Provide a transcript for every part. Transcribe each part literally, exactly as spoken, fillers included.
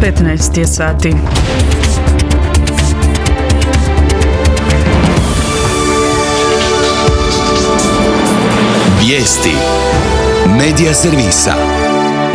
petnaest je sati. Vijesti Medija servisa.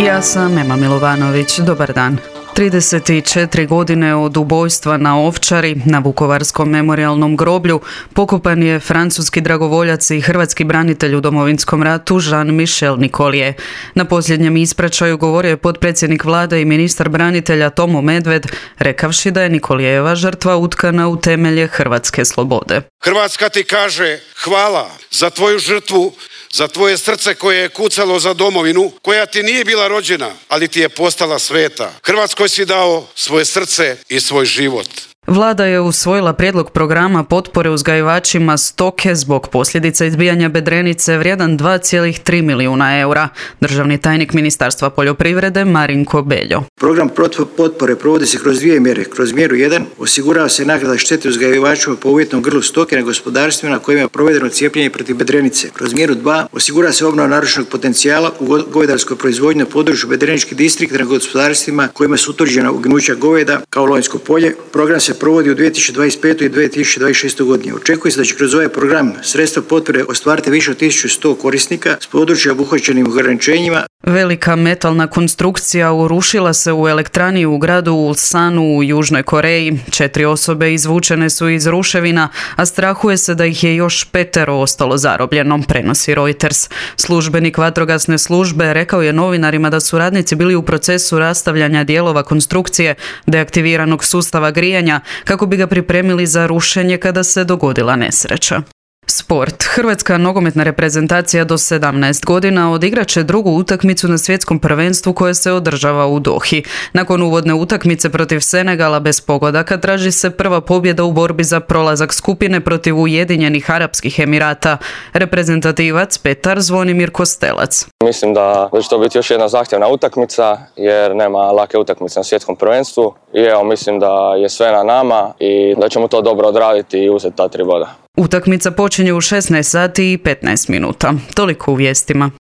Ja sam Ema Milovanović. Dobar dan. trideset četiri godine od ubojstva na Ovčari, na Vukovarskom memorijalnom groblju, pokopan je francuski dragovoljac i hrvatski branitelj u Domovinskom ratu Jean-Michel Nicollier. Na posljednjem ispraćaju govorio je potpredsjednik vlade i ministar branitelja Tomo Medved, rekavši da je Nicollierova žrtva utkana u temelje hrvatske slobode. Hrvatska ti kaže hvala za tvoju žrtvu, za tvoje srce koje je kucalo za domovinu, koja ti nije bila rođena, ali ti je postala sveta. Hrvatskoj si dao svoje srce i svoj život. Vlada je usvojila prijedlog programa potpore uzgajivačima stoke zbog posljedica izbijanja bedrenice vrijedan dva zarez tri milijuna eura. Državni tajnik Ministarstva poljoprivrede Marinko Beljo. Program potpore provodi se kroz dvije mjere. Kroz mjeru jedan osigurava se naknada štete uzgajivačima po uvjetnom grlu stoke na gospodarstvima na kojima je provedeno cijepljenje protiv bedrenice. Kroz mjeru dva osigurava se obnova narušenog potencijala u govedarskoj proizvodnji na području bedreničkih distrikta na gospodarstvima kojima su utvrđena ugnuća goveda kao Lonjsko polje. Program se provodi u dvije tisuće dvadeset petoj i dvije tisuće dvadeset šestoj godini. Očekuje se da će kroz ovaj program sredstva potpore ostvariti više od tisuću sto korisnika s područja obuhvaćenim ograničenjima. Velika metalna konstrukcija urušila se u elektrani u gradu Ulsanu u Južnoj Koreji. Četiri osobe izvučene su iz ruševina, a strahuje se da ih je još petero ostalo zarobljeno, prenosi Reuters. Službenik vatrogasne službe rekao je novinarima da su radnici bili u procesu rastavljanja dijelova konstrukcije deaktiviranog sustava grijanja kako bi ga pripremili za rušenje kada se dogodila nesreća. Sport. Hrvatska nogometna reprezentacija do sedamnaest godina odigrat će drugu utakmicu na svjetskom prvenstvu koje se održava u Dohi. Nakon uvodne utakmice protiv Senegala bez pogodaka traži se prva pobjeda u borbi za prolazak skupine protiv Ujedinjenih Arapskih Emirata. Reprezentativac Petar Zvonimir Kostelac. Mislim da će to biti još jedna zahtjevna utakmica jer nema lake utakmice na svjetskom prvenstvu i evo mislim da je sve na nama i da ćemo to dobro odraditi i uzeti ta tri boda. Utakmica počinje u šesnaest sati i petnaest minuta. Toliko u vijestima.